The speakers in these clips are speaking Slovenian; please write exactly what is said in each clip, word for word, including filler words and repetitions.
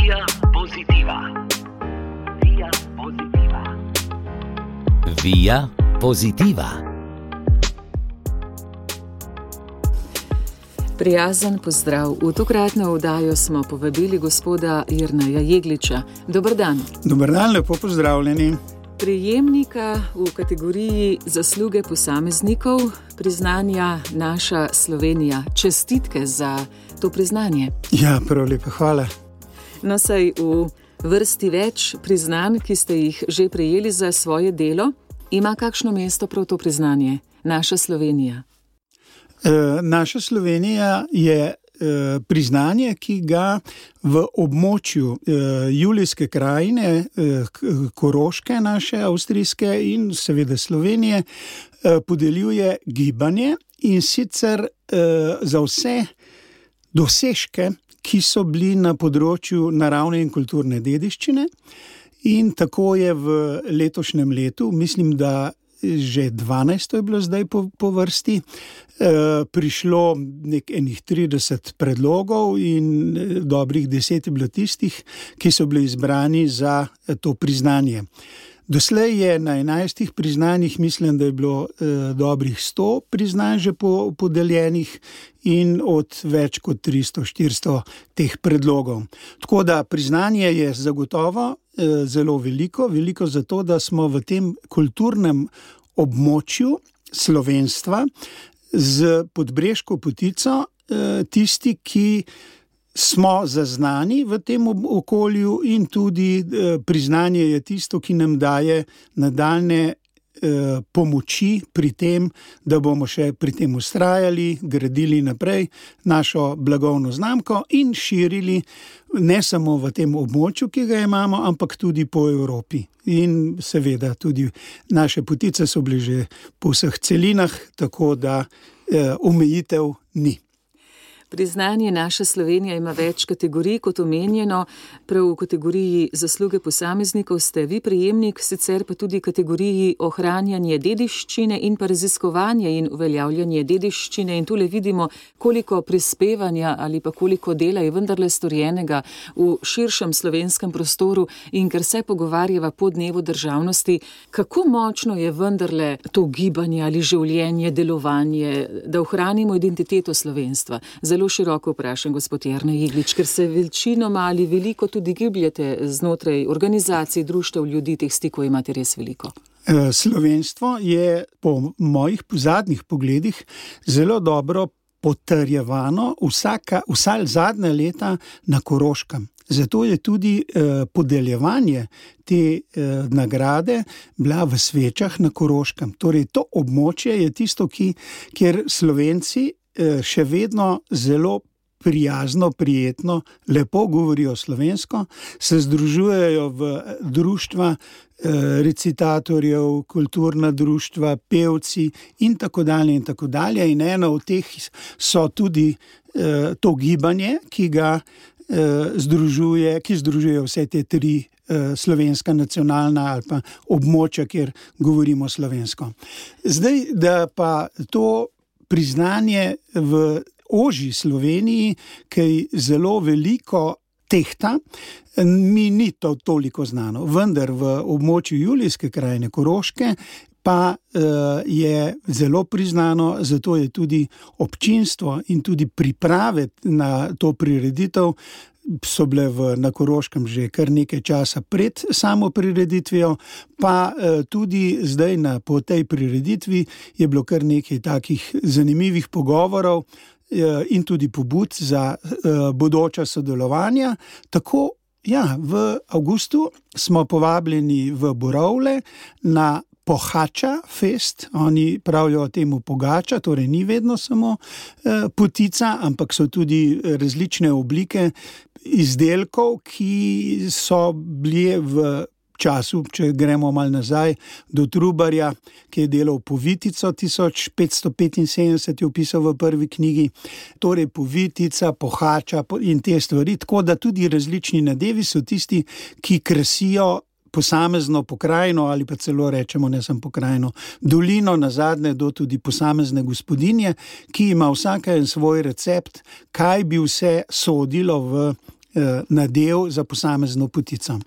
Via Positiva. Via Positiva. Via Positiva. Prijazen pozdrav. V tokratno oddajo smo povabili gospoda Jerneja Jegliča. Dober dan. Dober dan, lepo pozdravljeni. Prejemnika v kategoriji zasluge posameznikov priznanja Naša Slovenija. Čestitke za to priznanje. Ja, prav lepo, hvala. No, saj v vrsti več priznanj, ki ste jih že prejeli za svoje delo, ima kakšno mesto prav to priznanje? Naša Slovenija. E, naša Slovenija je e, priznanje, ki ga v območju e, Julijske krajine, e, Koroške naše, avstrijske in seveda Slovenije, e, podeljuje gibanje, in sicer e, za vse dosežke, ki so bili na področju naravne in kulturne dediščine. In tako je v letošnjem letu, mislim, da že dvanajsto je bilo zdaj po, po vrsti, e, prišlo nek enih trideset predlogov in dobrih deset je bilo tistih, ki so bili izbrani za to priznanje. Doslej je na enajstih priznanjih, mislim, da je bilo e, dobrih sto priznanj že po, podeljenih in od več kot tristo štiristo teh predlogov. Tako da priznanje je zagotovo e, zelo veliko, veliko zato, da smo v tem kulturnem območju slovenstva z Podbreško potico e, tisti, ki smo zaznani v tem okolju, in tudi eh, priznanje je tisto, ki nam daje nadaljne eh, pomoči pri tem, da bomo še pri tem vztrajali, gradili naprej našo blagovno znamko in širili ne samo v tem območju, ki ga imamo, ampak tudi po Evropi. In seveda tudi naše potice so bile že po vseh celinah, tako da eh, omejitev ni. Priznanje Naša Slovenija ima več kategorij, kot omenjeno. Prav v kategoriji zasluge posameznikov ste vi prejemnik, sicer pa tudi kategoriji ohranjanje dediščine in pa raziskovanje in uveljavljanje dediščine. In tule vidimo, koliko prispevanja ali pa koliko dela je vendarle storjenega v širšem slovenskem prostoru. In ker se pogovarjava po dnevu državnosti, kako močno je vendarle to gibanje ali življenje, delovanje, da ohranimo identiteto slovenstva. Zelo široko vprašam, gospod Jernej Jeglič, ker se večinoma ali veliko tudi gibljete znotraj organizacij, društev, ljudi, teh stikov imate res veliko. Slovenstvo je po mojih zadnjih pogledih zelo dobro potrjevano vsaka, vsa zadnja leta na Koroškem. Zato je tudi eh, podeljevanje te eh, nagrade bila v Svečah na Koroškem. Torej, to območje je tisto, ki, kjer Slovenci še vedno zelo prijazno, prijetno, lepo govorijo slovensko, se združujejo v društva recitatorjev, kulturna društva, pevci in tako dalje in tako dalje. In eno od teh so tudi to gibanje, ki ga združuje, ki združuje vse te tri slovenska nacionalna ali pa območja, kjer govorimo slovensko. Zdaj, da pa to priznanje v ožji Sloveniji, kaj zelo veliko tehta, mi ni to toliko znano. Vendar v območju Julijske krajine Koroške pa uh, je zelo priznano, zato je tudi občinstvo in tudi priprave na to prireditev so bile v, na Koroškem že kar nekaj časa pred samo prireditvijo, pa eh, tudi zdaj na, po tej prireditvi je bilo kar nekaj takih zanimivih pogovorov eh, in tudi pobud za eh, bodoča sodelovanja. Tako, ja, v avgustu smo povabljeni v Borovle na Pohača fest, oni pravijo temu pogača, torej ni vedno samo eh, potica, ampak so tudi različne oblike izdelkov, ki so bili v času, če gremo malo nazaj, do Trubarja, ki je delal Povitico, tisoč petsto petinsedemdeset je opisal v prvi knjigi, torej Povitica, Pohača in te stvari, tako da tudi različni nadevi so tisti, ki krasijo posamezno pokrajino ali pa celo rečemo, ne samo pokrajino, dolino, nazadnje do tudi posamezne gospodinje, ki ima vsaka en svoj recept, kaj bi vse sodilo v nadev za posamezno potico.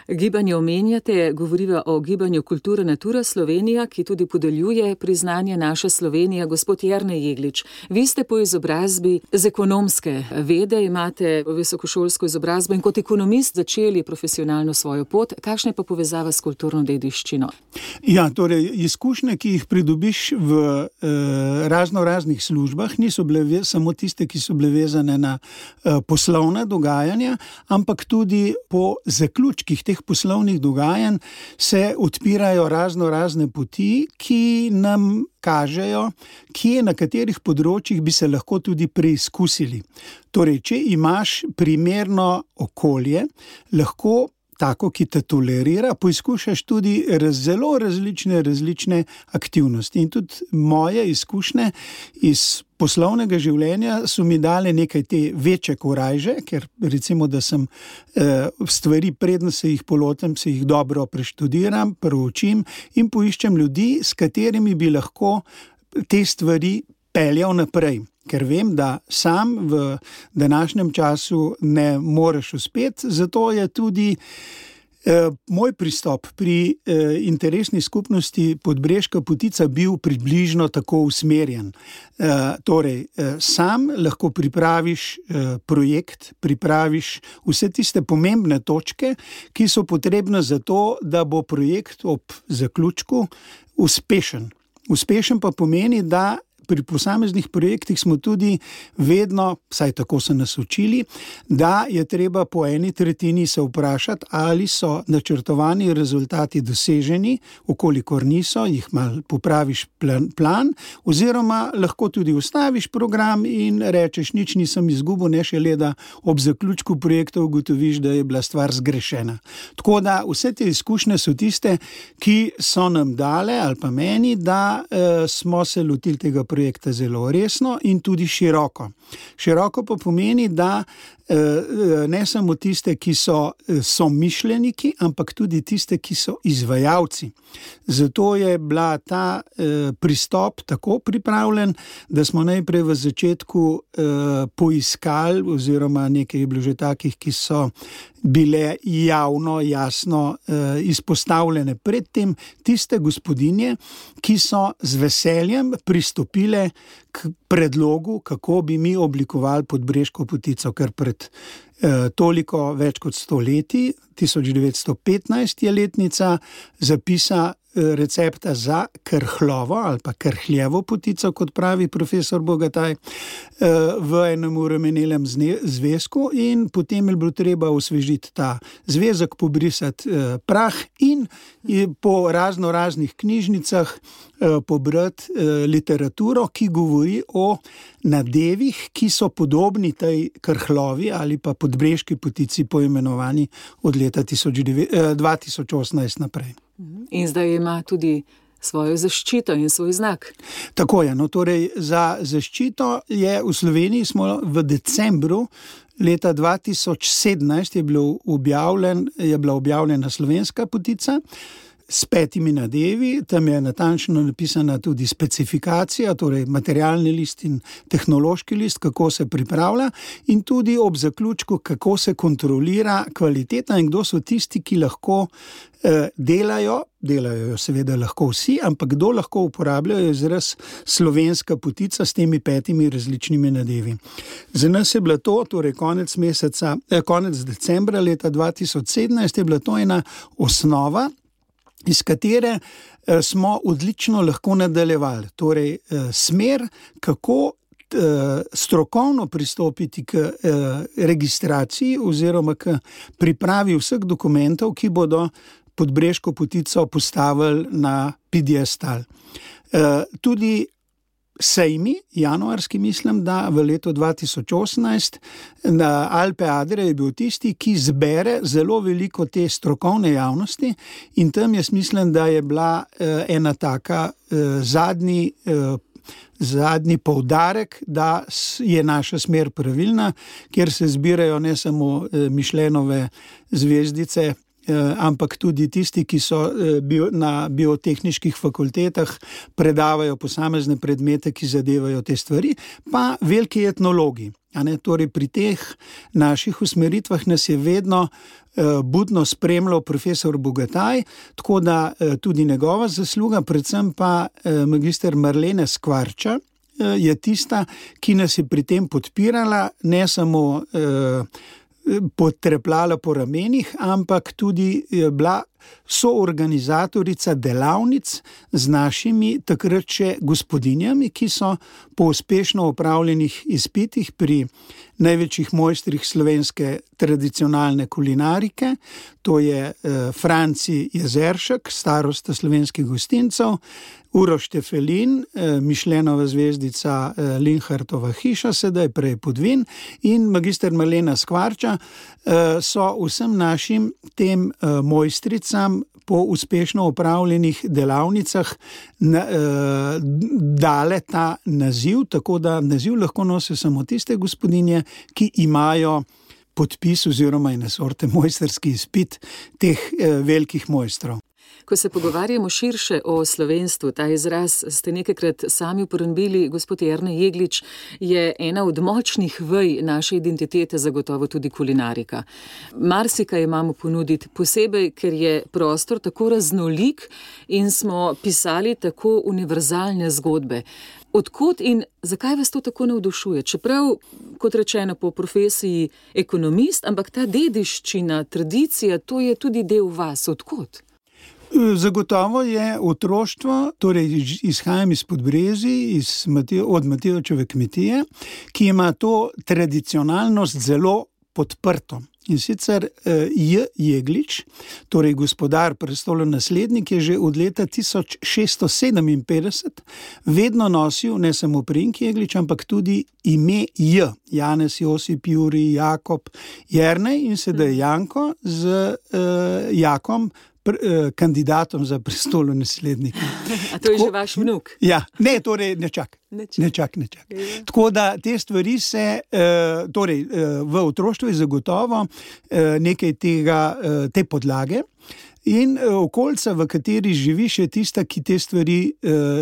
Gibanje omenjate, govoriva o gibanju Kultura Natura Slovenija, ki tudi podeljuje priznanje Naša Slovenija. Gospod Jernej Jeglič, vi ste po izobrazbi z ekonomske vede, imate visokošolsko izobrazbo in kot ekonomist začeli profesionalno svojo pot. Kakšna je pa povezava s kulturno dediščino? Ja, torej, izkušnje, ki jih pridobiš v eh, razno raznih službah, niso bile samo tiste, ki so bile vezane na eh, poslovna dogajanja, ampak tudi po zaključkih teh poslovnih dogajanj se odpirajo razno razne poti, ki nam kažejo, kje na katerih področjih bi se lahko tudi preizkusili. Torej, če imaš primerno okolje, lahko tako, ki te tolerira, poizkušaš tudi raz, zelo različne, različne aktivnosti. In tudi moje izkušnje iz poslovnega življenja so mi dale nekaj te večje korajže, ker recimo, da sem eh, stvari, predno se jih polotem, se jih dobro preštudiram, proučim in poiščem ljudi, s katerimi bi lahko te stvari peljal naprej. Ker vem, da sam v današnjem času ne moreš uspeti, zato je tudi eh, moj pristop pri eh, interesni skupnosti Podbreška potica bil približno tako usmerjen. Eh, torej, eh, sam lahko pripraviš eh, projekt, pripraviš vse tiste pomembne točke, ki so potrebne za to, da bo projekt ob zaključku uspešen. Uspešen pa pomeni, da pri posameznih projektih smo tudi vedno, vsaj tako so nas učili, da je treba po eni tretjini se vprašati, ali so načrtovani rezultati doseženi, ukolikor niso, jih malo popraviš plan, plan, oziroma lahko tudi ustaviš program in rečeš, nič nisem izgubil, ne šele da ob zaključku projekta ugotoviš, da je bila stvar zgrešena. Tako da vse te izkušnje so tiste, ki so nam dale, ali pa meni, da eh, smo se lotili tega projekta zelo resno in tudi široko. Široko pa pomeni, da ne samo tiste, ki so somišljeniki, ampak tudi tiste, ki so izvajalci. Zato je bila ta pristop tako pripravljen, da smo najprej v začetku poiskali, oziroma nekaj je bilo že takih, ki so bile javno, jasno izpostavljene predtem, tiste gospodinje, ki so z veseljem pristopile k predlogu, kako bi mi oblikovali Podbreško potico, ker pred eh, toliko več kot sto leti, tisoč devetsto petnajst je letnica zapisa eh, recepta za krhlovo ali pa krhljevo potico, kot pravi profesor Bogataj, eh, v enem uremenelem zvezku, in potem je bilo treba osvežiti ta zvezek, pobrisati eh, prah in, in po razno raznih knjižnicah eh, pobrati eh, literaturo, ki govori o nadevih, ki so podobni tej krhlovi ali pa podbreški potici, poimenovani od leta dva tisoč osemnajst naprej. In zdaj ima tudi svojo zaščito in svoj znak. Tako je, no torej za zaščito je v Sloveniji smo v decembru leta dva tisoč sedemnajst je, bilo objavljen, je bila objavljena slovenska potica s petimi nadevi, tam je natančno napisana tudi specifikacija, torej materialni list in tehnološki list, kako se pripravlja, in tudi ob zaključku, kako se kontrolira kvaliteta in kdo so tisti, ki lahko eh, delajo, delajo jo seveda lahko vsi, ampak kdo lahko uporabljajo izraz slovenska potica s temi petimi različnimi nadevi. Za nas je bila to, torej konec meseca, eh, konec decembra leta dva tisoč sedemnajst je bila to ena osnova, iz katere eh, smo odlično lahko nadaljevali. Torej, eh, smer, kako eh, strokovno pristopiti k eh, registraciji oziroma k pripravi vseh dokumentov, ki bodo Podbreško potico postavili na piedestal. Eh, tudi sejmi, januarski mislim, da v letu dva tisoč osemnajst na Alpe Adria je bil tisti, ki zbere zelo veliko te strokovne javnosti, in tam jaz mislim, da je bila eh, ena taka eh, zadnji, eh, zadnji poudarek, da je naša smer pravilna, kjer se zbirajo ne samo eh, Michelinove zvezdice ampak tudi tisti, ki so na biotehniških fakultetah, predavajo posamezne predmete, ki zadevajo te stvari, pa veliki etnologi. Torej, pri teh naših usmeritvah nas je vedno budno spremljal profesor Bogataj, tako da tudi njegova zasluga, predvsem pa magister Marlene Skvarča, je tista, ki nas je pri tem podpirala, ne samo potrepljala po ramenih, ampak tudi je bila soorganizatorica delavnic z našimi takrat še gospodinjami, ki so po uspešno opravljenih izpitih pri največjih mojstrih slovenske tradicionalne kulinarike, to je Franci Jezeršek, starosta slovenskih gostincev, Uroš Štefelin, Mišlenova zvezdica Linhartova hiša, sedaj prej Podvin, in magister Marlena Skvarča so vsem našim tem mojstricam po uspešno opravljenih delavnicah dale ta naziv, tako da naziv lahko nosijo samo tiste gospodinje, ki imajo podpis oziroma ene sorte mojstrski izpit teh velikih mojstrov. Ko se pogovarjamo širše o slovenstvu, ta izraz ste nekajkrat sami uporabili, gospod Jernej Jeglič, je ena od močnih vej naše identitete zagotovo tudi kulinarika. Marsikaj imamo ponuditi, posebej, ker je prostor tako raznolik in smo pisali tako univerzalne zgodbe. Odkot in zakaj vas to tako navdušuje? Čeprav, kot rečeno, po profesiji ekonomist, ampak ta dediščina, tradicija, to je tudi del vas. Odkot? Zagotovo je otroštvo, torej izhajam iz Podbrezij, iz Mateo, od Matevčeve kmetije, ki ima to tradicionalnost zelo podprto. In sicer J. Jeglič, torej gospodar, prestolonaslednik, je že od leta tisoč šeststo sedeminpetdeset vedno nosil ne samo priimek Jeglič, ampak tudi ime J. Janez, Josip, Jurij, Jakob, Jernej in sedaj Janko z uh, Jakom, kandidatom za prestolonaslednika. A to je Tako, že vaš vnuk? Ja, ne, torej ne čak. Ne čak, ne čak. Ne čak. Tako da te stvari se, torej v otroštvu je zagotovo nekaj tega, te podlage in okolica, v kateri živiš, je tista, ki te stvari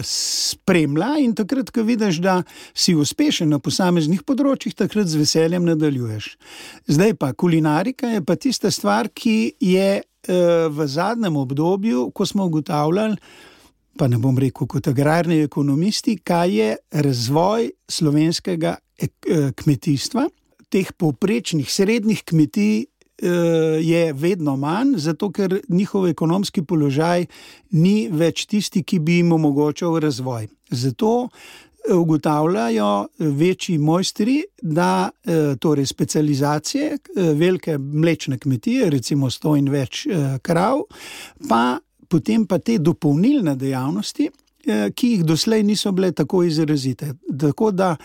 spremlja in takrat, ko vidiš, da si uspešen na posameznih področjih, takrat z veseljem nadaljuješ. Zdaj pa kulinarika je pa tista stvar, ki je v zadnjem obdobju, ko smo ugotavljali, pa ne bom rekel kot agrarni ekonomisti, kaj je razvoj slovenskega kmetijstva. Teh povprečnih srednjih kmetij je vedno manj, zato ker njihov ekonomski položaj ni več tisti, ki bi jim omogočal razvoj. Zato ugotavljajo večji mojstri, da torej specializacije, velike mlečne kmetije, recimo sto in več krav, pa potem pa te dopolnilne dejavnosti, ki jih doslej niso bile tako izrazite. Tako da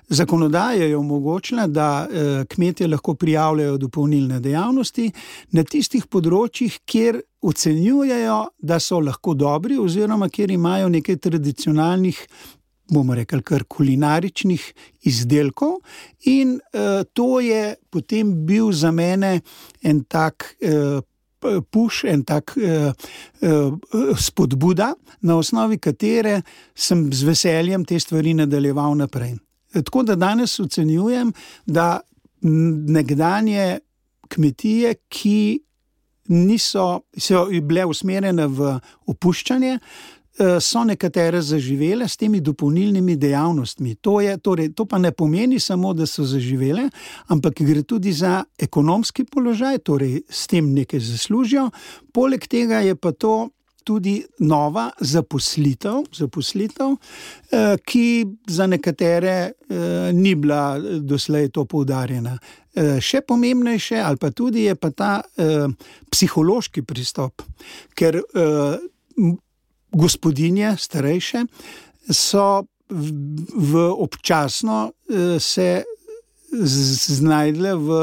zakonodaja je omogočila, da kmetje lahko prijavljajo dopolnilne dejavnosti na tistih področjih, kjer ocenjujejo, da so lahko dobri oziroma kjer imajo nekaj tradicionalnih, bomo rekli, kar kulinaričnih izdelkov in uh, to je potem bil za mene en tak uh, puš, en tak uh, uh, spodbuda, na osnovi katere sem z veseljem te stvari nadaljeval naprej. Tako da danes ocenjujem, da nekdanje kmetije, ki niso, so bile usmerjene v opuščanje, so nekatere zaživele s temi dopolnilnimi dejavnostmi. To je, torej, to pa ne pomeni samo, da so zaživele, ampak gre tudi za ekonomski položaj, torej s tem nekaj zaslužijo. Poleg tega je pa to tudi nova zaposlitev, zaposlitev, ki za nekatere ni bila doslej to poudarjena. Še pomembnejše ali pa tudi je pa ta psihološki pristop, ker gospodinje, starejše, so v občasno se znajdle v,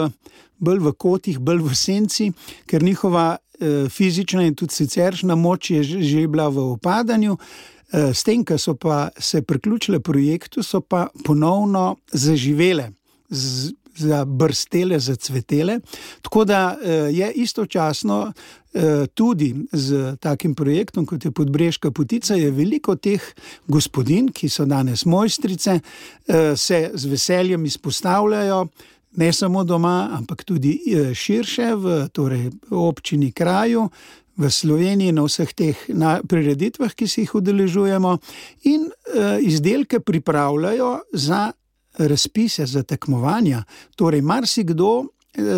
bolj v kotih, bolj v senci, ker njihova fizična in tudi siceršnja moč je že bila v upadanju. S tem, ko so pa se priključile projektu, so pa ponovno zaživele z zabrstele, zacvetele. Tako da je istočasno tudi z takim projektom, kot je Podbreška potica, je veliko teh gospodinj, ki so danes mojstrice, se z veseljem izpostavljajo, ne samo doma, ampak tudi širše v torej, občini, kraju, v Sloveniji na vseh teh prireditvah, ki se jih udeležujemo, in izdelke pripravljajo za razpise, za tekmovanja. Torej, marsikdo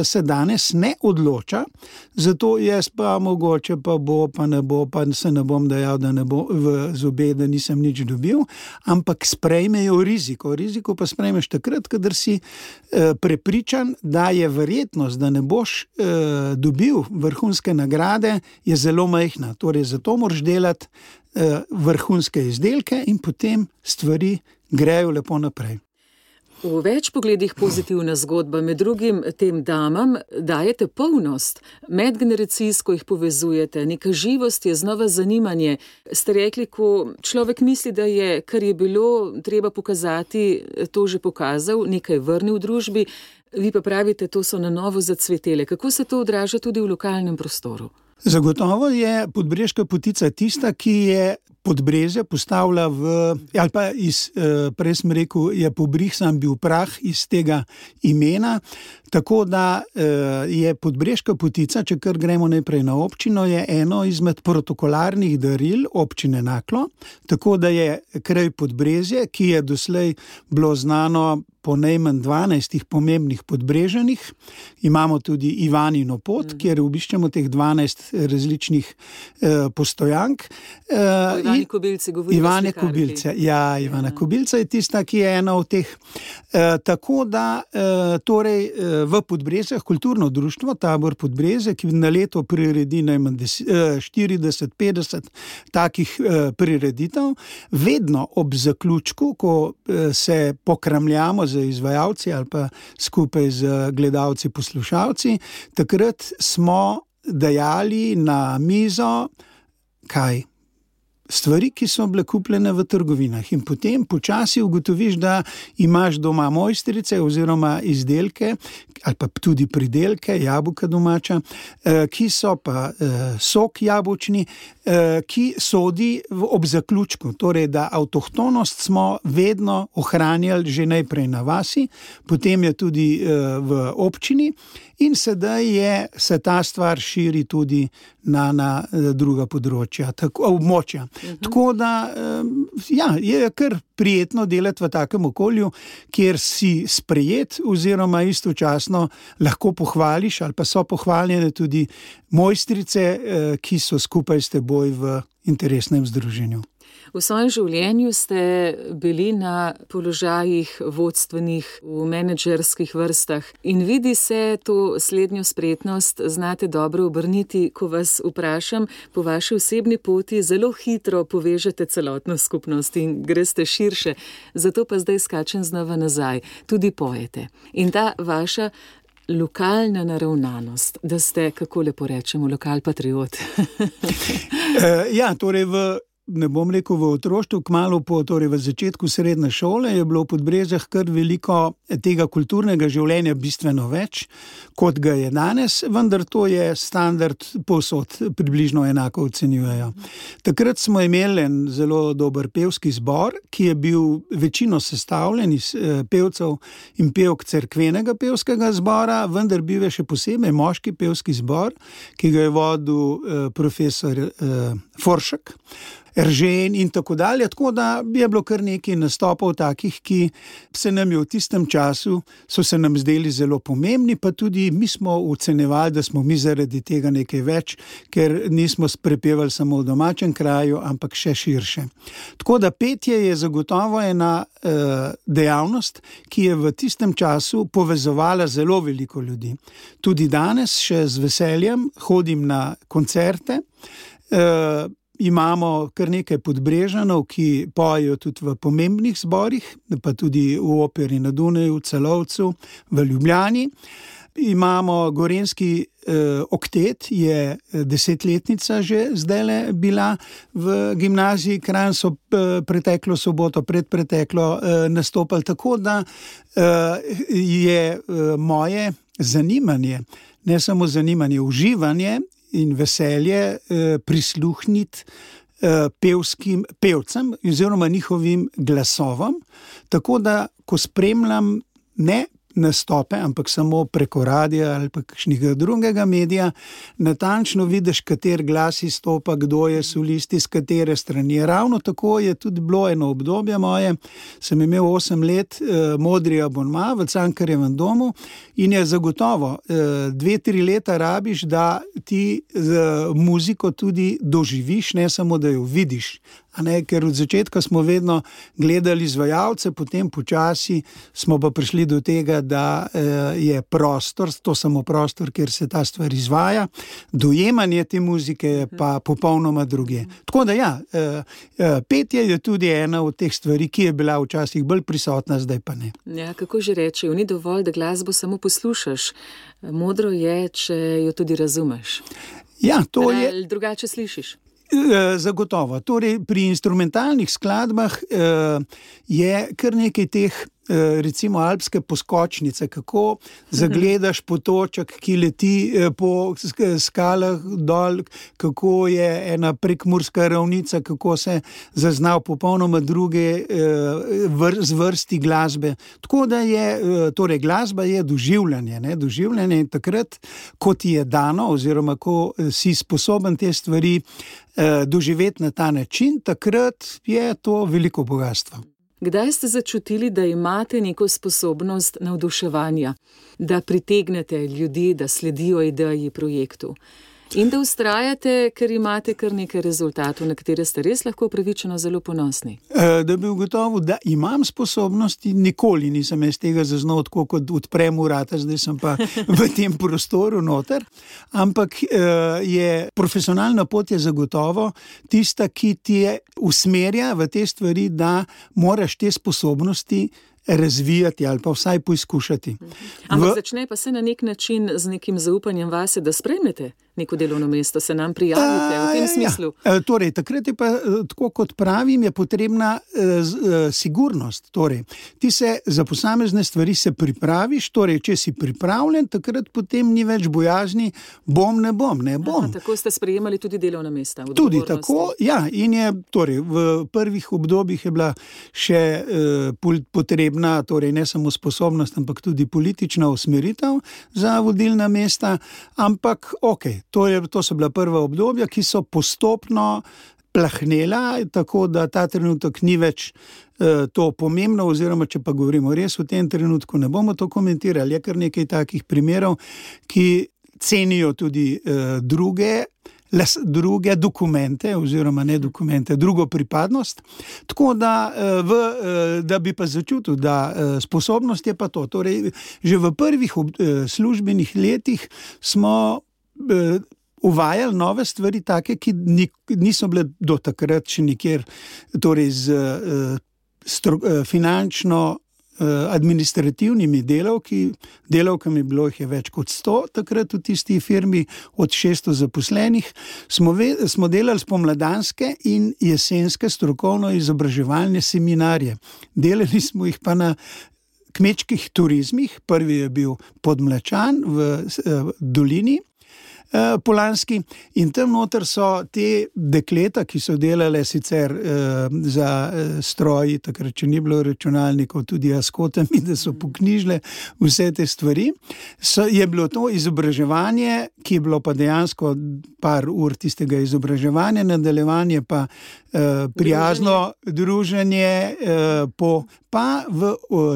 se danes ne odloča, zato jaz pa mogoče pa bo, pa ne bo, pa se ne bom dejal, da ne bo v zobe, da nisem nič dobil, ampak sprejmejo riziko. Riziko pa sprejmeš takrat, kadar si eh, prepričan, da je verjetnost, da ne boš eh, dobil vrhunske nagrade, je zelo majhna. Torej, zato moraš delati eh, vrhunske izdelke in potem stvari grejo lepo naprej. V več pogledih pozitivna zgodba, med drugim tem damam dajete polnost, medgeneracijsko jih povezujete, neka živost je znova zanimanje. Ste rekli, ko človek misli, da je, kar je bilo treba pokazati, to že pokazal, nekaj vrnil v družbi, vi pa pravite, to so na novo zacvetele. Kako se to odraža tudi v lokalnem prostoru? Zagotovo je Podbreška potica tista, ki je Podbrezje postavlja v, ali pa iz, prej sem rekel, je pobrih sam bil prah iz tega imena, tako da je Podbreška potica, če kar gremo najprej na občino, je eno izmed protokolarnih daril občine Naklo, tako da je kraj Podbrezje, ki je doslej bilo znano po najmanj dvanajstih pomembnih Podbrežanih. Imamo tudi Ivanino pot, mm. kjer obiščemo teh dvanajst različnih eh, postojank. Eh, Ivani Kobilce govorijo. Ivane Kobilce, ja, Ivana ja. Kobilca je tista, ki je ena od teh. Eh, tako da eh, torej eh, v Podbrezjah kulturno društvo Tabor Podbrezje, ki na leto priredi najmanj štirideset petdeset takih eh, prireditev, vedno ob zaključku, ko eh, se pokramljamo z izvajalci ali pa skupaj z gledalci, poslušalci, takrat smo dajali na mizo kaj? Stvari, ki so bile kupljene v trgovinah, in potem počasi ugotoviš, da imaš doma mojstrice oziroma izdelke ali pa tudi pridelke, jabolka domača, ki so pa sok jabolčni, ki sodi ob zaključku. Torej, da avtohtonost smo vedno ohranjali že najprej na vasi, potem je tudi v občini in sedaj je, se ta stvar širi tudi na, na druga področja, tako, območja. Uh-huh. Tako da ja, je kar prijetno delati v takem okolju, kjer si sprejet oziroma istočasno lahko pohvališ ali pa so pohvaljene tudi mojstrice, ki so skupaj s teboj v interesnem združenju. V svojem življenju ste bili na položajih vodstvenih, v menedžerskih vrstah in vidi se to slednjo spretnost, znate dobro obrniti, ko vas vprašam po vaši osebni poti, zelo hitro povežete celotno skupnost in greste širše, zato pa zdaj skačem znova nazaj, tudi pojete. In ta vaša lokalna naravnanost, da ste, kako lepo rečemo, lokal patriot. Ja, torej v ne bom rekel v otroštvu, kmalu po, torej v začetku srednje šole, je bilo v Podbrezjah kar veliko tega kulturnega življenja, bistveno več, kot ga je danes, vendar to je standard povsod, približno enako ocenjujejo. Takrat smo imeli en zelo dober pevski zbor, ki je bil večino sestavljen iz pevcev in pevk cerkvenega pevskega zbora, vendar bil je še posebej moški pevski zbor, ki ga je vodil profesor Foršek, Eržen in tako dalje, tako da je bilo kar nekaj nastopov takih, ki se nam je v tistem času, so se nam zdeli zelo pomembni, pa tudi mi smo ocenjevali, da smo mi zaradi tega nekaj več, ker nismo prepevali samo v domačem kraju, ampak še širše. Tako da petje je zagotovo ena eh, dejavnost, ki je v tistem času povezovala zelo veliko ljudi. Tudi danes še z veseljem hodim na koncerte, eh, imamo kar nekaj Podbrežanov, ki pojejo tudi v pomembnih zborih, pa tudi v Operi na Dunaju, v Celovcu, v Ljubljani. Imamo gorenjski uh, oktet je desetletnica že zdajle bila v gimnaziji Kranj, so uh, preteklo soboto, predpreteklo uh, nastopali, tako da uh, je uh, moje zanimanje, ne samo zanimanje, uživanje in veselje uh, prisluhniti uh, pevskim pevcem oziroma njihovim glasovom, tako da ko spremljam ne nastope, ampak samo preko radia ali pa kakšnega drugega medija, natančno vidiš, kater glas izstopa, kdo je solist, iz katere strani. Ravno tako je tudi bilo eno obdobje moje, sem imel osem let eh, modri abonma v Cankarjevem domu in je zagotovo eh, dve, tri leta rabiš, da ti z muziko tudi doživiš, ne samo, da jo vidiš. A ne, ker od začetka smo vedno gledali izvajalce, potem počasi smo pa prišli do tega, da eh, je prostor, to samo prostor, kjer se ta stvar izvaja, dojemanje te muzike je pa popolnoma druge. Tako da ja, eh, eh, petje je tudi ena od teh stvari, ki je bila včasih bolj prisotna, zdaj pa ne. Ja, kako že rečejo, ni dovolj, da glasbo samo poslušaš. Modro je, če jo tudi razumeš. Ja, to je... Ali drugače slišiš? Zagotovo. Torej, pri instrumentalnih skladbah eh, je kar nekaj teh, eh, recimo alpske poskočnice, kako zagledaš potoček, ki leti eh, po skalah dol, kako je ena prekmurska ravnica, kako se zazna popolnoma druge eh, vr, zvrsti glasbe. Tako da je, eh, torej glasba je doživljanje, ne? Doživljanje in takrat, ko ti je dano oziroma ko si sposoben te stvari doživeti na ta način, takrat je to veliko bogatstvo. Kdaj ste začutili, da imate neko sposobnost navduševanja, da pritegnete ljudi, da sledijo ideji projektu in da vztrajate, ker imate kar nekaj rezultatov, na katere ste res lahko upravičeno zelo ponosni? Da bi ugotovil, da imam sposobnosti, nikoli nisem jaz tega zaznal, tako kot odprem vrata, zdaj sem pa v tem prostoru noter, ampak je profesionalna pot je zagotovo tista, ki ti je usmerja v te stvari, da moraš te sposobnosti razvijati ali pa vsaj poizkušati. Ampak v... začne pa se na nek način z nekim zaupanjem vase, da sprejmete neko delovno mesto, se nam prijavite v tem smislu. Ja. Torej, takrat je pa, tako kot pravim, je potrebna uh, sigurnost. Torej, ti se za posamezne stvari se pripraviš, torej, če si pripravljen, takrat potem ni več bojazni, bom, ne bom, ne bom. Aha, tako ste sprejemali tudi delovna mesta. Tudi tako, ja, in je, torej, v prvih obdobjih je bila še uh, potrebna, torej, ne samo sposobnost, ampak tudi politična usmeritev za vodilna mesta, ampak ok, To, je, to so bila prva obdobja, ki so postopno plahnela, tako da ta trenutek ni več eh, to pomembno, oziroma če pa govorimo res v tem trenutku, ne bomo to komentirali. Je kar nekaj takih primerov, ki cenijo tudi eh, druge, les, druge dokumente, oziroma ne dokumente, drugo pripadnost. Tako da, eh, v, eh, da bi pa začutil, da eh, sposobnost je pa to. Torej, že v prvih ob, eh, službenih letih smo uvajali nove stvari, take, ki niso bile do takrat še nikjer, torej z stro, finančno administrativnimi delavki, delavkami bilo jih je več kot sto, takrat v tisti firmi od šeststo zaposlenih, smo, ve, smo delali spomladanske in jesenske strokovno izobraževalne seminarje. Delali smo jih pa na kmečkih turizmih, prvi je bil Podmlečan v eh, dolini, Polanski, in tam noter so te dekleta, ki so delale sicer eh, za eh, stroji, takrat, če ni bilo računalnikov, tudi askotami, da so poknjižile vse te stvari. So, je bilo to izobraževanje, ki je bilo pa dejansko par ur tistega izobraževanja, nadaljevanje pa eh, prijazno druženje, eh, po, pa v,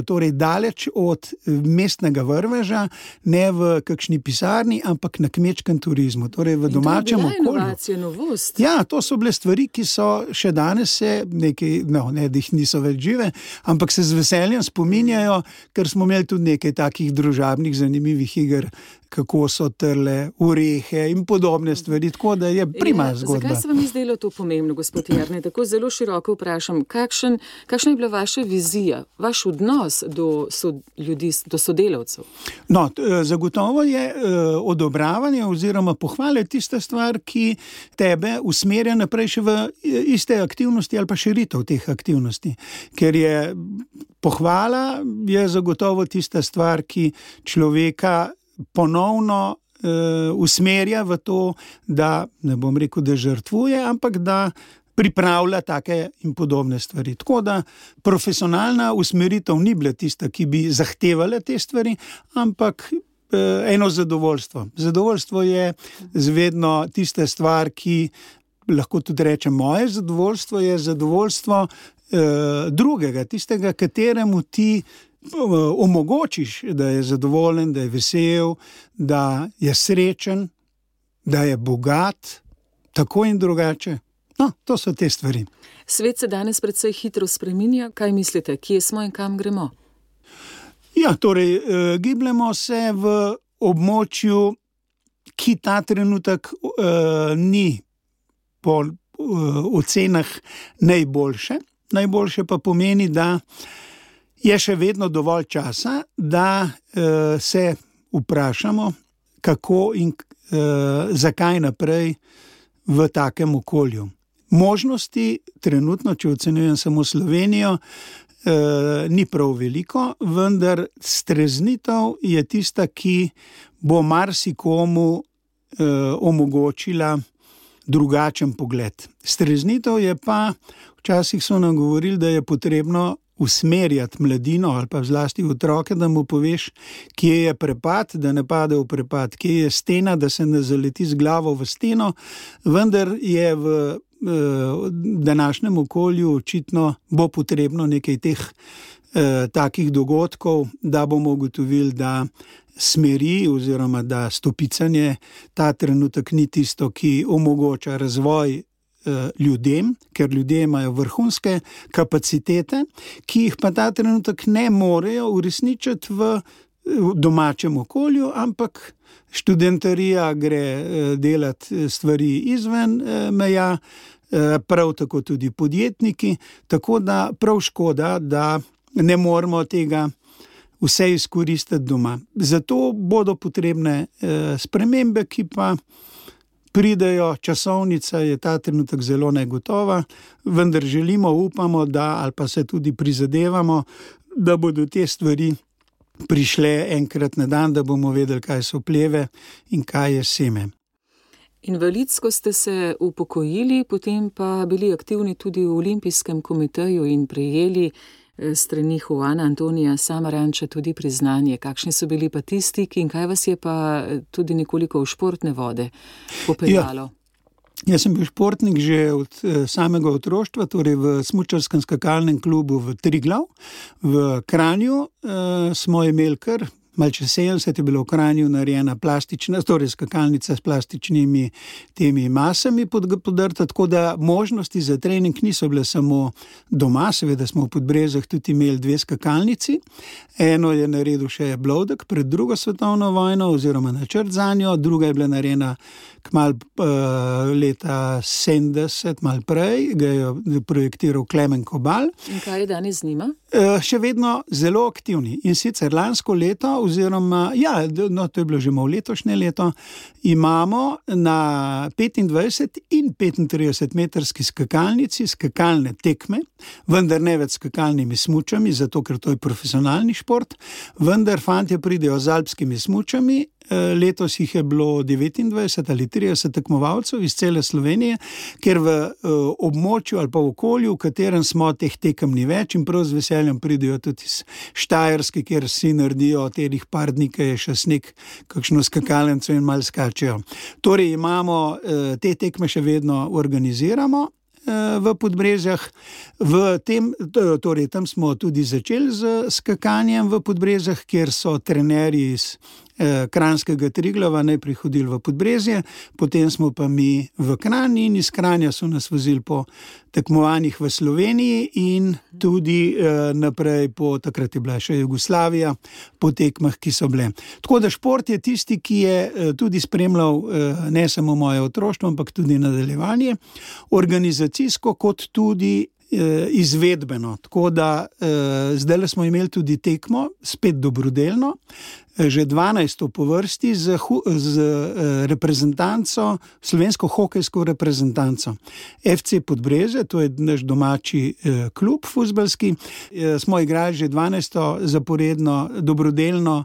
torej daleč od mestnega vrveža, ne v kakšni pisarni, ampak na kmečkem turizmu, torej v domačem okolju. Inovacija, novost. Ja, to so bile stvari, ki so še danes se nekaj, no, ne, da jih niso več žive, ampak se z veseljem spominjajo, ker smo imeli tudi nekaj takih družabnih, zanimivih iger kako so trle orehe in podobne stvari, tako da je prima zgodba. Zakaj se vam je zdelo to pomembno, gospod Jernej? Tako zelo široko vprašam, kakšen, kakšna je bila vaša vizija, vaš odnos do so, ljudi, do sodelavcev? No, zagotovo je uh, odobravanje oziroma pohvale tista stvar, ki tebe usmerja naprej še v iste aktivnosti ali pa širitev teh aktivnosti. Ker je pohvala je zagotovo tista stvar, ki človeka ponovno uh, usmerja v to, da, ne bom rekel, da žrtvuje, ampak da pripravlja take in podobne stvari. Tako da profesionalna usmeritev ni bila tista, ki bi zahtevala te stvari, ampak uh, eno zadovoljstvo. Zadovoljstvo je zvedno tista stvar, ki lahko tudi rečem, moje zadovoljstvo je zadovoljstvo uh, drugega, tistega, kateremu ti omogočiš, da je zadovoljen, da je vesel, da je srečen, da je bogat, tako in drugače. No, to so te stvari. Svet se danes precej hitro spreminja. Kaj mislite, kje smo in kam gremo? Ja, torej, eh, gibljamo se v območju, ki ta trenutek eh, ni po eh, ocenah najboljše. Najboljše pa pomeni, da je še vedno dovolj časa, da uh, se vprašamo, kako in uh, zakaj naprej v takem okolju. Možnosti trenutno, če ocenjujem samo Slovenijo, uh, ni prav veliko, vendar streznitev je tista, ki bo marsikomu uh, omogočila drugačen pogled. Streznitev je pa, včasih so nam govorili, da je potrebno usmerjati mladino ali pa zlasti otroke, da mu poveš, kje je prepad, da ne pade v prepad, kje je stena, da se ne zaleti z glavo v steno, vendar je v eh, današnjem okolju očitno bo potrebno nekaj teh eh, takih dogodkov, da bomo ugotovili, da smeri oziroma da stopicanje ta trenutek ni tisto, ki omogoča razvoj ljudem, ker ljudje imajo vrhunske kapacitete, ki jih pa ta trenutek ne morejo uresničiti v domačem okolju, ampak študentarija gre delati stvari izven meja, prav tako tudi podjetniki, tako da prav škoda, da ne moremo tega vse izkoristiti doma. Zato bodo potrebne spremembe, ki pa pridejo, časovnica je ta trenutek zelo negotova, vendar želimo, upamo, da ali pa se tudi prizadevamo, da bodo te stvari prišle enkrat na dan, da bomo vedeli, kaj so pleve in kaj je seme. Invalidsko ste se upokojili, potem pa bili aktivni tudi v Olimpijskem komiteju in prejeli strani Juana Antonija Samaranča tudi priznanje. Kakšni so bili pa ti stiki in kaj vas je pa tudi nekoliko v športne vode popeljalo? Ja, jaz sem bil športnik že od samega otroštva, torej v smučarskem skakalnem klubu v Triglav. V Kranju eh, smo imeli kar malo čez sedemdeset je bilo v Kranju narejena plastična, torej skakalnica s plastičnimi temi masami podrta, tako da možnosti za trening niso bile samo doma, seveda smo v Podbrezjah tudi imeli dve skakalnici. Eno je naredil še Blodek pred drugo svetovno vojno oziroma načrt zanjo, druga je bila narejena kmalu uh, leta sedemdeset, malo prej, ga je projektiral Klemen Kobal. In kaj je danes z njima? Uh, še vedno zelo aktivni in sicer lansko leto oziroma, ja, no, to je bilo že malo letošnje leto, imamo na petindvajset in petintrideset metrski skakalnici skakalne tekme, vendar ne več skakalnimi smučami, zato ker to je profesionalni šport, vendar fantje pridejo z alpskimi smučami. Letos jih je bilo devetindvajset ali trideset tekmovalcev iz cele Slovenije, ker v uh, območju ali pa v okolju, v katerem smo, teh tekem ni več in prav z veseljem pridejo tudi iz Štajerske, kjer si naredijo teh par dni, ki je še sneg, kakšno skakalnico in malo skačejo. Torej imamo uh, te tekme še vedno organiziramo v Podbrezjah. V tem, torej tam smo tudi začeli z skakanjem v Podbrezjah, kjer so trenerji iz Kranjskega Triglava najprej hodili v Podbrezje, potem smo pa mi v Kranj in iz Kranja so nas vozili po tekmovanjih v Sloveniji in tudi eh, naprej po, takrat je bila še Jugoslavija, po tekmah, ki so bile. Tako da šport je tisti, ki je eh, tudi spremljal eh, ne samo moje otroštvo, ampak tudi nadaljevanje, organizacijsko kot tudi izvedbeno, tako da eh, zdaj smo imeli tudi tekmo, spet dobrodelno, že dvanajsto po vrsti z, z eh, reprezentanco, slovensko hokejsko reprezentanco. F C Podbrezje, to je naš domači eh, klub fuzbalski, eh, smo igrali že dvanajsto zaporedno dobrodelno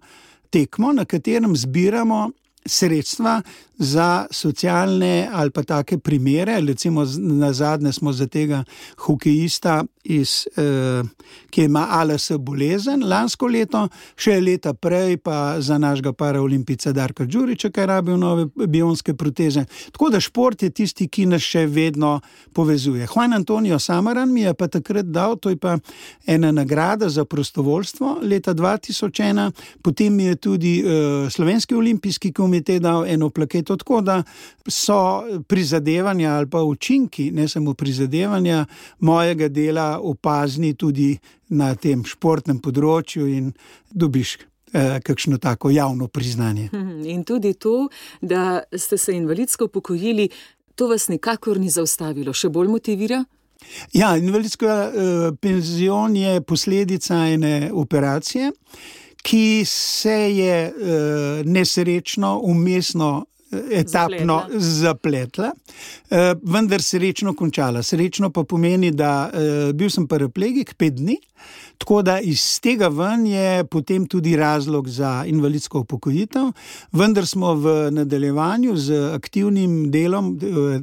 tekmo, na katerem zbiramo sredstva za socialne ali pa take primere, recimo na zadnje smo za tega hokejista, iz, eh, ki ima A L S bolezen lansko leto, še leta prej pa za našega paraolimpijca Darka Đurića, ki je rabil nove bionske proteze. Tako da šport je tisti, ki nas še vedno povezuje. Juan Antonio Samaran mi je pa takrat dal, to je pa ena nagrada za prostovoljstvo leta dva tisoč ena, potem mi je tudi eh, Slovenski olimpijski komitej dal eno plaketo, tako da so prizadevanja ali pa učinki, ne samo prizadevanja mojega dela opazni tudi na tem športnem področju in dobiš eh, kakšno tako javno priznanje. In tudi to, da ste se invalidsko upokojili, to vas nikakor ni zaustavilo, še bolj motivira? Ja, invalidska eh, penzion je posledica ene operacije, ki se je uh, nesrečno, umestno, etapno zapletla, zapletla uh, vendar srečno končala. Srečno pa pomeni, da uh, bil sem paraplegik pet dni, tako da iz tega ven je potem tudi razlog za invalidsko upokojitev, vendar smo v nadaljevanju z aktivnim delom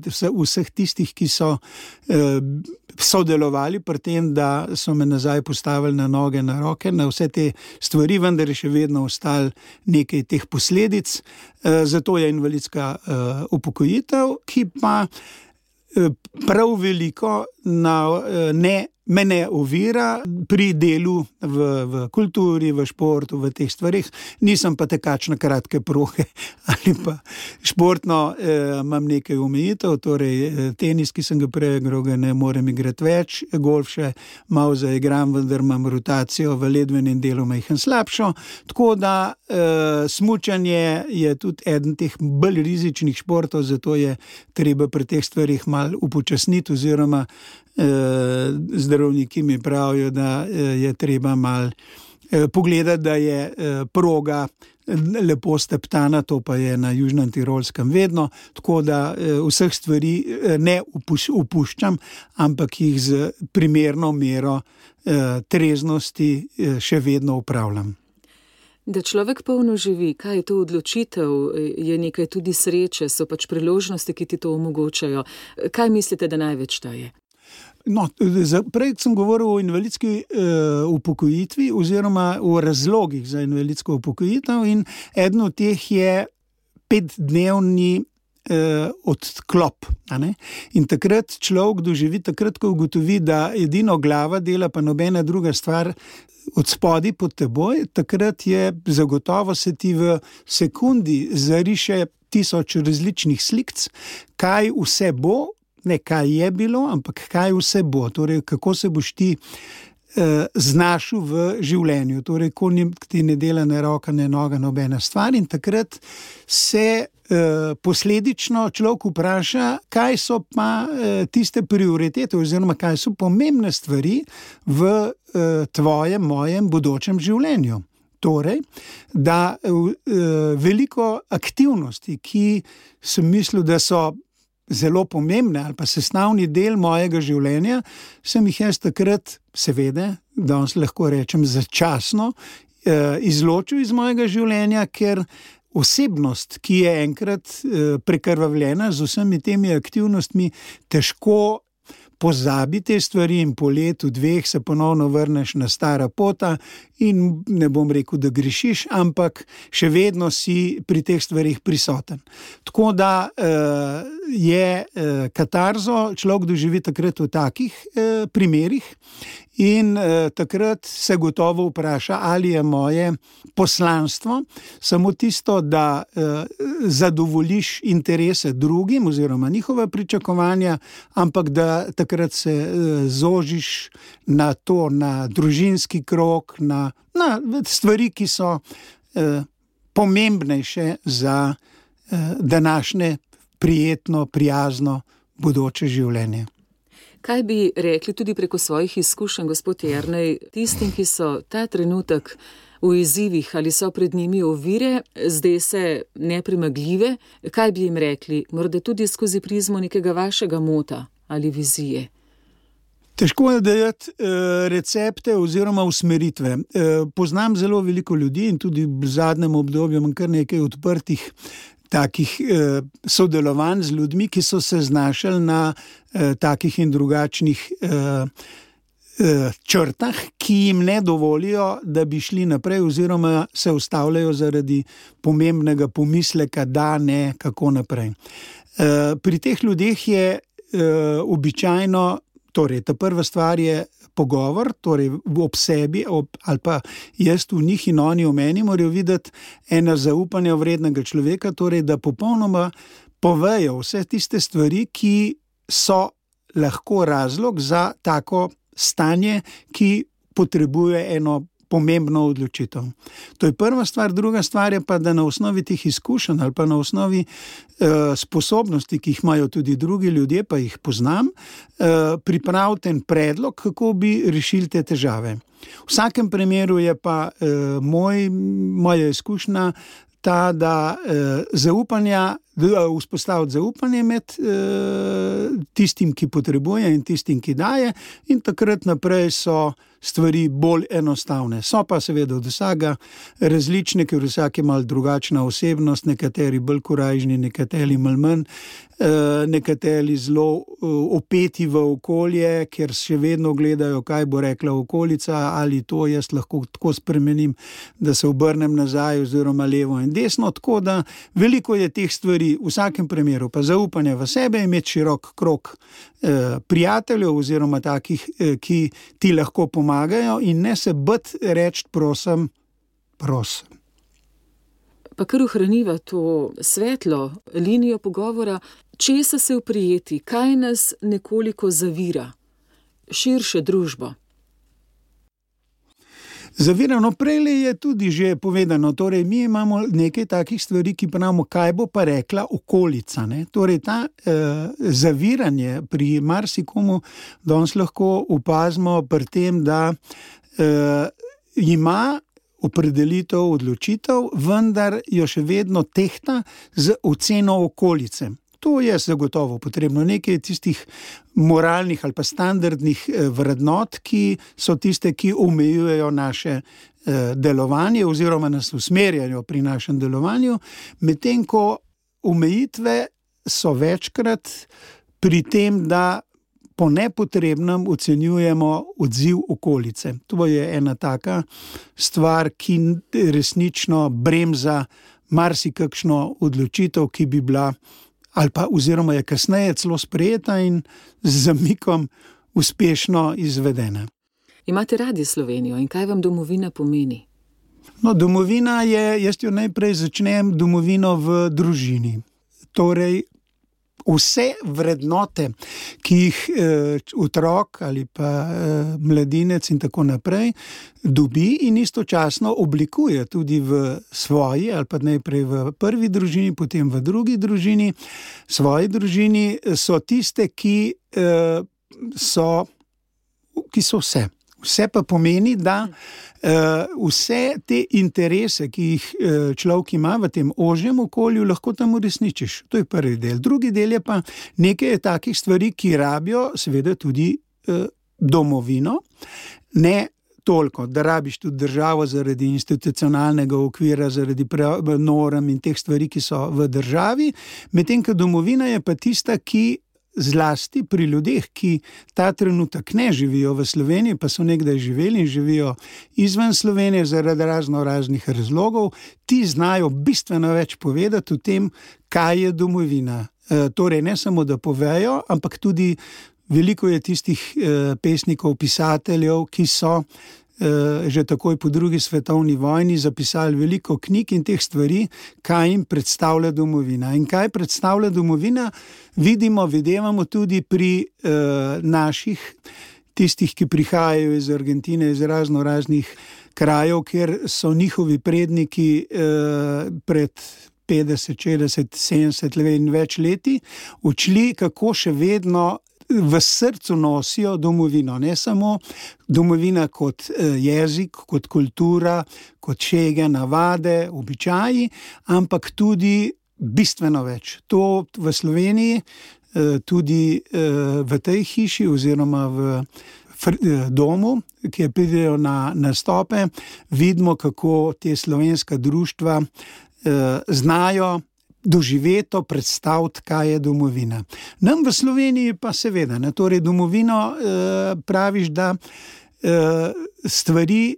vseh tistih, ki so uh, sodelovali pri tem, da so me nazaj postavili na noge, na roke, na vse te stvari, vendar je še vedno ostalo nekaj teh posledic. Zato je invalidska upokojitev, ki pa prav veliko na, ne, me ne ovira pri delu v, v kulturi, v športu, v teh stvarih. Nisem pa tekač na kratke proge ali pa športno eh, imam nekaj omejitev, torej tenis, ki sem ga prej igral, ga ne morem igrati več, golf še malo zaigram, vendar imam rotacijo v ledvenem delu majhen slabšo, tako da eh, smučanje je tudi eden teh bolj rizičnih športov, zato je treba pri teh stvarih malo upočasniti oziroma zdravniki mi pravijo, da je treba malo pogledati, da je proga lepo steptana, to pa je na Južnem Tirolskem vedno, tako da vseh stvari ne upuščam, ampak jih z primerno mero treznosti še vedno upravljam. Da človek polno živi, kaj je to odločitev, je nekaj tudi sreče, so pač priložnosti, ki ti to omogočajo. Kaj mislite, da največ ta je? No, prej sem govoril o invalidski uh, upokojitvi oziroma o razlogih za invalidsko upokojitev in eden od teh je petdnevni uh, odklop. A ne? In takrat človek doživi, takrat, ko ugotovi, da edino glava dela, pa nobena druga stvar od spodaj pod teboj, takrat je zagotovo se ti v sekundi zariše tisoč različnih slikc, kaj vse bo, ne kaj je bilo, ampak kaj vse bo, torej kako se boš ti eh, znašel v življenju, torej ko ti ne dela ne roka, ne noga, nobena stvar in takrat se eh, posledično človek vpraša, kaj so pa eh, tiste prioritete oziroma kaj so pomembne stvari v eh, tvojem, mojem bodočem življenju. Torej, da eh, veliko aktivnosti, ki sem mislil, da so zelo pomembne ali pa sestavni del mojega življenja, sem jih jaz takrat, seveda, danes lahko rečem začasno, eh, izločil iz mojega življenja, ker osebnost, ki je enkrat eh, prekrvavljena z vsemi temi aktivnostmi, težko pozabi te stvari in po letu dveh se ponovno vrneš na stara pota in ne bom rekel, da grešiš, ampak še vedno si pri teh stvarih prisoten. Tako da eh, je katarzo človek doživi takrat v takih primerih in takrat se gotovo vpraša, ali je moje poslanstvo samo tisto, da zadovoljiš interese drugim oziroma njihova pričakovanja, ampak da takrat se zožiš na to, na družinski krog, na, na stvari, ki so pomembnejše za današnje prijetno, prijazno bodoče življenje. Kaj bi rekli tudi preko svojih izkušenj, gospod Jernej, tistim, ki so ta trenutek v izzivih ali so pred njimi ovire, zdaj se nepremagljive, kaj bi jim rekli, morda tudi skozi prizmo nekega vašega mota ali vizije? Težko je dajati recepte oziroma usmeritve. Poznam zelo veliko ljudi in tudi v zadnjem obdobju imam kar nekaj odprtih takih eh, sodelovanj z ljudmi, ki so se znašali na eh, takih in drugačnih eh, eh, črtah, ki jim ne dovolijo, da bi šli naprej oziroma se ustavljajo zaradi pomembnega pomisleka, da ne, kako naprej. Eh, pri teh ljudeh je eh, običajno, torej ta prva stvar je pogovor, torej ob sebi ob, ali pa jaz v njih in oni v meni morajo videti ena zaupanja vrednega človeka, torej da popolnoma povejo vse tiste stvari, ki so lahko razlog za tako stanje, ki potrebuje eno pomembno odločitev. To je prva stvar. Druga stvar je pa, da na osnovi teh izkušenj ali pa na osnovi eh, sposobnosti, ki jih imajo tudi drugi ljudje, pa jih poznam, eh, pripravite en predlog, kako bi rešili te težave. V vsakem primeru je pa eh, moj, moja izkušnja ta, da eh, zaupanja, da vzpostaviti zaupanje med eh, tistim, ki potrebuje in tistim, ki daje, in takrat naprej so stvari bolj enostavne. So pa seveda od vsega različne, ker vsak je malo drugačna osebnost, nekateri bolj korajžni, nekateri malo manj, nekateri zelo opeti v okolje, ker še vedno gledajo, kaj bo rekla okolica, ali to jaz lahko tako spremenim, da se obrnem nazaj oziroma levo in desno, tako da veliko je teh stvari. V vsakem primeru pa zaupanje v sebe, imeti širok krog eh, prijateljev oziroma takih, eh, ki ti lahko pomagajo in ne se bati reči prosim, prosim. Pa kar ohraniva to svetlo linijo pogovora, česa se oprijeti, kaj nas nekoliko zavira, širše družbo. Zavirano prej je tudi že povedano, torej mi imamo nekaj takih stvari, ki pravimo, kaj bo pa rekla okolica. Ne? Torej ta eh, zaviranje pri marsikomu danes lahko opazimo pri tem, da eh, ima opredelitev, odločitev, vendar jo še vedno tehta z oceno okolice. To je zagotovo potrebno. Nekaj tistih moralnih ali pa standardnih vrednot, ki so tiste, ki omejujejo naše delovanje oziroma nas usmerjajo pri našem delovanju, medtem ko omejitve so večkrat pri tem, da po nepotrebnem ocenjujemo odziv okolice. To je ena taka stvar, ki resnično bremza marsikakšno odločitev, ki bi bila ali pa oziroma je kasneje celo sprejeta in z zamikom uspešno izvedena. Imate radi Slovenijo in kaj vam domovina pomeni? No, domovina je, jaz jo najprej začnem domovino v družini. Torej, vse vrednote, ki jih eh, otrok ali pa eh, mladinec in tako naprej dobi in istočasno oblikuje tudi v svoji ali pa najprej v prvi družini, potem v drugi družini, svoji družini, so tiste, ki, eh, so, ki so vse. Vse pa pomeni, da uh, vse te interese, ki jih uh, človek ima v tem ožjem okolju, lahko tam uresničiš. To je prvi del. Drugi del je pa nekaj takih stvari, ki rabijo seveda tudi uh, domovino. Ne toliko, da rabiš tudi državo zaradi institucionalnega okvira, zaradi norm in teh stvari, ki so v državi. Medtem ko domovina je pa tista, ki zlasti pri ljudeh, ki ta trenutek ne živijo v Sloveniji, pa so nekdaj živeli in živijo izven Slovenije zaradi razno raznih razlogov, ti znajo bistveno več povedati o tem, kaj je domovina. E, torej ne samo, da povejo, ampak tudi veliko je tistih e, pesnikov, pisateljev, ki so že takoj po drugi svetovni vojni zapisali veliko knjig in teh stvari, kaj jim predstavlja domovina. In kaj predstavlja domovina, vidimo, videvamo tudi pri eh, naših, tistih, ki prihajajo iz Argentine, iz razno raznih krajev, kjer so njihovi predniki eh, pred petdeset, šestdeset, sedemdeset let in več leti učili, kako še vedno v srcu nosijo domovino, ne samo domovina kot jezik, kot kultura, kot šege, navade, običaji, ampak tudi bistveno več. To v Sloveniji, tudi v tej hiši oziroma v domu, ki pridejo na nastope, vidimo, kako te slovenska društva znajo doživeto predstaviti, kaj je domovina. Nam v Sloveniji pa seveda, ne, torej domovino eh, praviš, da eh, stvari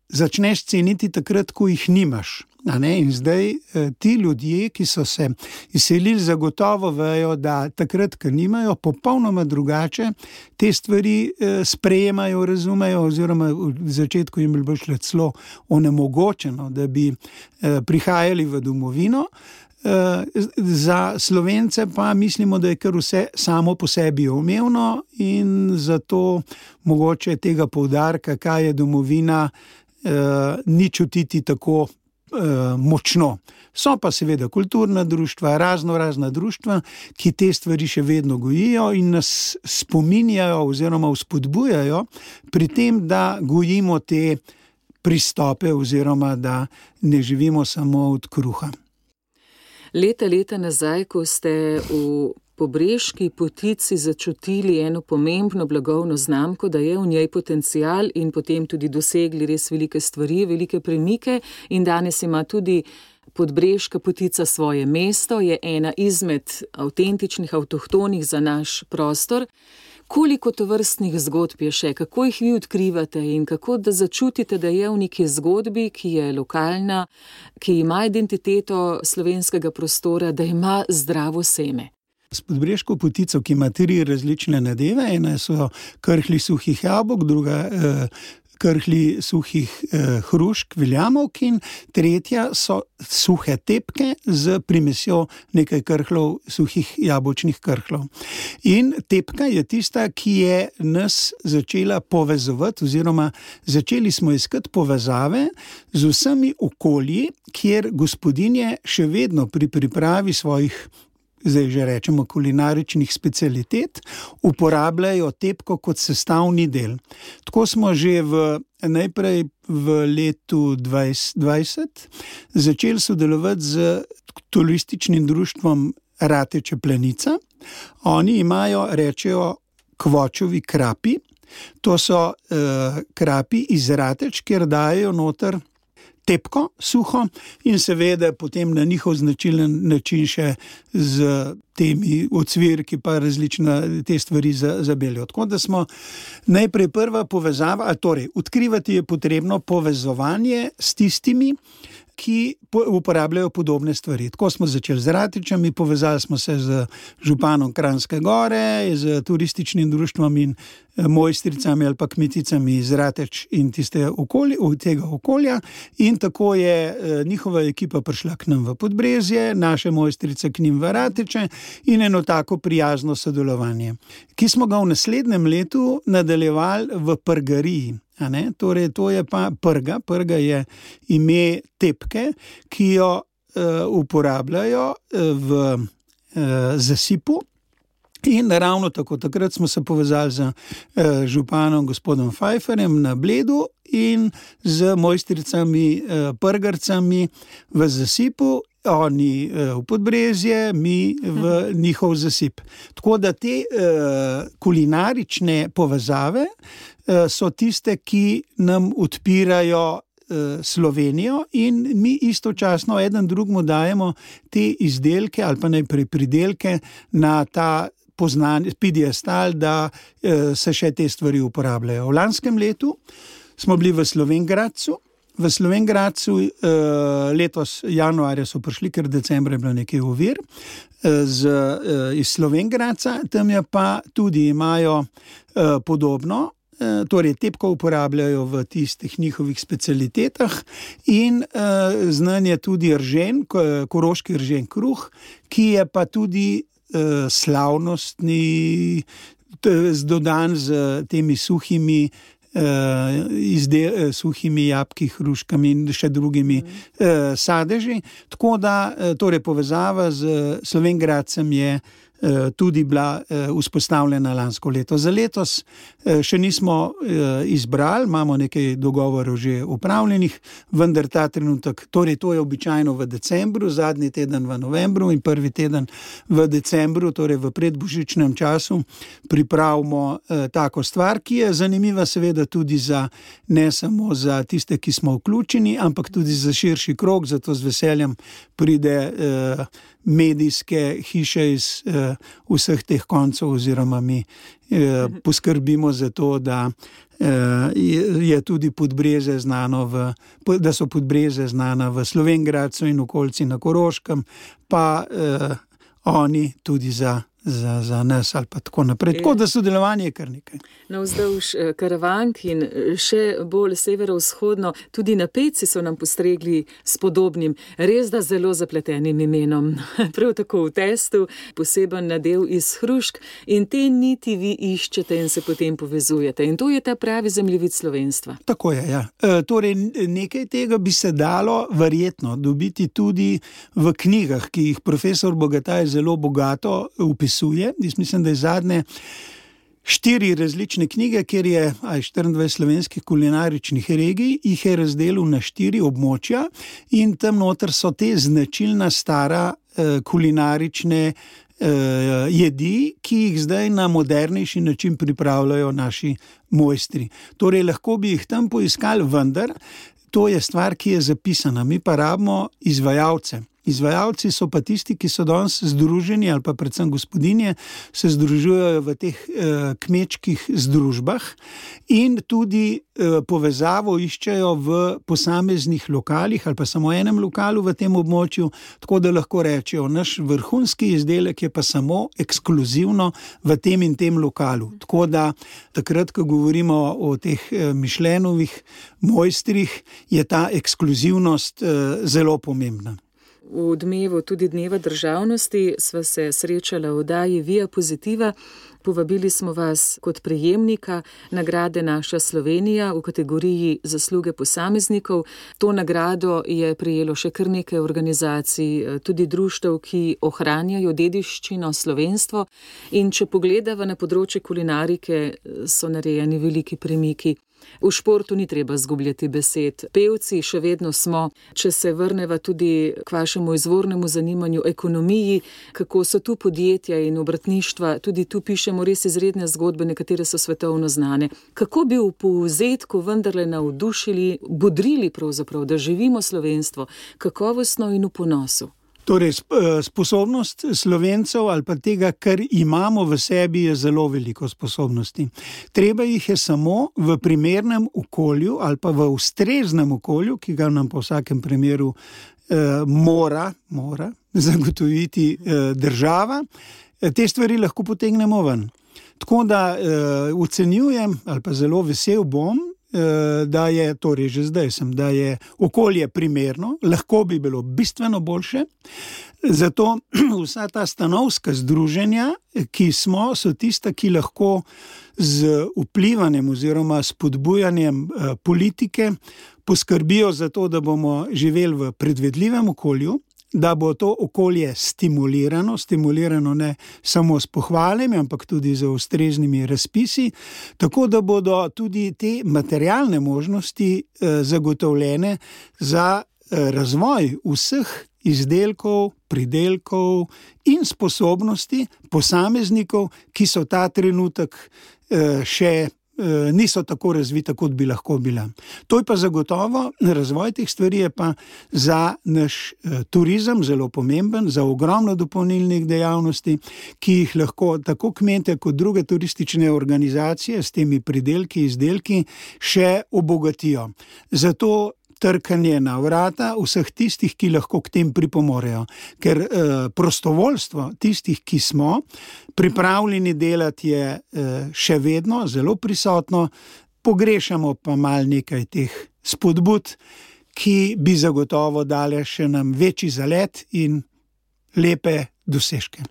začneš ceniti takrat, ko jih nimaš. A ne? In zdaj eh, ti ljudje, ki so se izselili, zagotovo vejo, da takrat, ko nimajo, popolnoma drugače te stvari eh, sprejemajo, razumejo, oziroma v začetku jim bilo šlo celo onemogočeno, da bi eh, prihajali v domovino. Za Slovence pa mislimo, da je kar vse samo po sebi umevno in zato mogoče tega poudarka, kaj je domovina, ni čutiti tako močno. So pa seveda kulturna društva, razno razna društva, ki te stvari še vedno gojijo in nas spominjajo oziroma vzpodbujajo pri tem, da gojimo te pristope oziroma da ne živimo samo od kruha. Leta, leta nazaj, ko ste v Pobreški potici začutili eno pomembno blagovno znamko, da je v njej potencial in potem tudi dosegli res velike stvari, velike premike in danes ima tudi Podbreška potica svoje mesto, je ena izmed avtentičnih, avtohtonih za naš prostor. Koliko tovrstnih zgodb je še, kako jih vi odkrivate in kako da začutite, da je v neki zgodbi, ki je lokalna, ki ima identiteto slovenskega prostora, da ima zdravo seme? S Podbreško potico, ki ima tri različne nadeve, ena so krhlji suhih jabolk, druga eh, krhlji suhih eh, hrušk, viljamovk in tretja so suhe tepke z primesjo nekaj krhlov, suhih jabolčnih krhlov. In tepka je tista, ki je nas začela povezovati oziroma začeli smo iskati povezave z vsemi okolji, kjer gospodinje še vedno pri pripravi svojih, zdaj že rečemo, kulinaričnih specialitet, uporabljajo tepko kot sestavni del. Tako smo že v, najprej v letu dvajset dvajset začeli sodelovati z turističnim društvom Rateče Planica. Oni imajo, rečejo, kvočovi krapi. To so eh, krapi iz Rateč, kjer dajo noter tepko, suho in seveda potem na njihov značilen način še z temi ocvirki pa različne te stvari zabeljo. Tako da smo najprej prva povezava, a torej odkrivati je potrebno povezovanje s tistimi, ki uporabljajo podobne stvari. Tako smo začeli z Ratečami, povezali smo se z županom Kranjske Gore, z turističnim društvom in mojstricami ali pa kmeticami iz Rateč in tiste okolje, tega okolja in tako je njihova ekipa prišla k nam v Podbrezje, naše mojstrice k njim v Rateče in eno tako prijazno sodelovanje, ki smo ga v naslednjem letu nadaljevali v Prgariji. A ne? Torej, to je pa prga. Prga je ime tepke, ki jo uh, uporabljajo uh, v uh, zasipu. In ravno tako, takrat smo se povezali z uh, županom gospodom Pfeifferjem na Bledu in z mojstricami uh, prgarcami v zasipu. Oni uh, v Podbrezje, mi v njihov zasip. Tako da te uh, kulinarične povezave uh, so tiste, ki nam odpirajo uh, Slovenijo in mi istočasno eden drugemu dajemo te izdelke ali pa najprej pridelke na ta poznan, piedestal, da uh, se še te stvari uporabljajo. V lanskem letu smo bili v Slovenj Gradcu. V Slovenj Gradcu uh, letos januarja so prišli, ker decembra je bilo nekaj ovir uh, z, uh, iz Slovenj Gradca, tam je pa tudi imajo uh, podobno, uh, torej tepko uporabljajo v tistih njihovih specialitetah in uh, znan je tudi ržen, koroški ržen kruh, ki je pa tudi uh, slavnostni, dodan z temi suhimi Uh, izde, uh, suhimi jabki, hruškami in še drugimi mm. uh, sadeži. Tako da uh, torej povezava z Slovenj Gradcem je uh, tudi bila uh, vzpostavljena lansko leto. Za letos uh, še nismo uh, izbrali, imamo nekaj dogovorov že upravljenih, vendar ta trenutek, torej to je običajno v decembru, zadnji teden v novembru in prvi teden v decembru, torej v predbožičnem času, pripravimo uh, tako stvar, ki je zanimiva seveda tudi za, ne samo za tiste, ki smo vključeni, ampak tudi za širši krog, zato z veseljem pride eh, medijske hiše iz eh, vseh teh koncev oziroma mi eh, poskrbimo za to, da eh, je tudi Podbrezje znano v, da so Podbrezje znana v Slovenj Gradcu in okolici na Koroškem, pa eh, oni tudi za Za, za nas ali pa tako naprej. Tako da sodelovanje je kar nekaj. Navzdolž Karavank in še bolj severovzhodno, tudi na Peci so nam postregli s podobnim, res da zelo zapletenim imenom. Prav tako v testu, poseben nadev iz hrušk in te niti vi iščete in se potem povezujete. In to je ta pravi zemljevid slovenstva. Tako je, ja. E, torej nekaj tega bi se dalo verjetno dobiti tudi v knjigah, ki jih profesor Bogataj zelo bogato upisuje. Jaz mislim, da je zadnje štiri različne knjige, kjer je aj štiriindvajset slovenskih kulinaričnih regij, jih je razdelil na štiri območja in tam noter so te značilna stara eh, kulinarične eh, jedi, ki jih zdaj na modernejši način pripravljajo naši mojstri. Torej, lahko bi jih tam poiskali, vendar to je stvar, ki je zapisana. Mi pa rabimo izvajalce. Izvajalci so pa tisti, ki so danes združeni ali pa predvsem gospodinje, se združujejo v teh eh, kmečkih združbah in tudi eh, povezavo iščejo v posameznih lokalih ali pa samo enem lokalu v tem območju, tako da lahko rečejo, naš vrhunski izdelek je pa samo ekskluzivno v tem in tem lokalu. Tako da takrat, ko govorimo o teh eh, Michelinovih mojstrih, je ta ekskluzivnost eh, zelo pomembna. V odmevu tudi Dneva državnosti sva se srečala v oddaji Via Positiva. Povabili smo vas kot prejemnika nagrade Naša Slovenija v kategoriji zasluge posameznikov. To nagrado je prejelo še kar nekaj organizacij, tudi društev, ki ohranjajo dediščino, slovenstvo. In če pogledava na področje kulinarike, so narejeni veliki premiki. V športu ni treba zgubljati besed. Pevci še vedno smo, če se vrneva tudi k vašemu izvornemu zanimanju ekonomiji, kako so tu podjetja in obratništva, tudi tu pišemo res izredne zgodbe, nekatere so svetovno znane. Kako bi v povzetku vendarle navdušili, bodrili pravzaprav, da živimo slovenstvo, kakovostno in v ponosu? Torej, sposobnost Slovencev ali pa tega, kar imamo v sebi, je zelo veliko sposobnosti. Treba jih je samo v primernem okolju ali pa v ustreznem okolju, ki ga nam po vsakem primeru eh, mora, mora zagotoviti eh, država, te stvari lahko potegnemo ven. Tako da eh, ocenjujem ali pa zelo vesel bom, da je, torej že zdaj sem, da je okolje primerno, lahko bi bilo bistveno boljše, zato vsa ta stanovska združenja, ki smo, so tista, ki lahko z vplivanjem oziroma spodbujanjem politike poskrbijo za to, da bomo živeli v predvidljivem okolju, da bo to okolje stimulirano, stimulirano ne samo s pohvalami, ampak tudi z ustreznimi razpisi, tako da bodo tudi te materialne možnosti eh, zagotovljene za eh, razvoj vseh izdelkov, pridelkov in sposobnosti posameznikov, ki so ta trenutek eh, še niso tako razvita, kot bi lahko bila. To je pa zagotovo, razvoj teh stvari je pa za naš turizem zelo pomemben, za ogromno dopolnilnih dejavnosti, ki jih lahko tako kmete kot druge turistične organizacije s temi pridelki, izdelki še obogatijo. Zato trkanje na vrata vseh tistih, ki lahko k tem pripomorejo. Ker eh, prostovoljstvo tistih, ki smo pripravljeni delati, je eh, še vedno zelo prisotno, pogrešamo pa mal nekaj teh spodbud, ki bi zagotovo dale še nam večji zalet in lepe dosežke.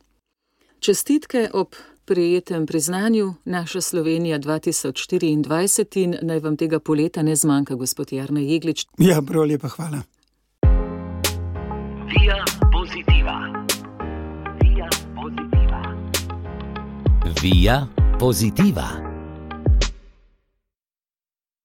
Čestitke ob prijetem priznanju Naša Slovenija dva tisoč štiriindvajset in naj vam tega poleta ne zmanjka, gospod Jernej Jeglič. Ja, prav lepa hvala. Via Positiva. Via Positiva. Via Positiva.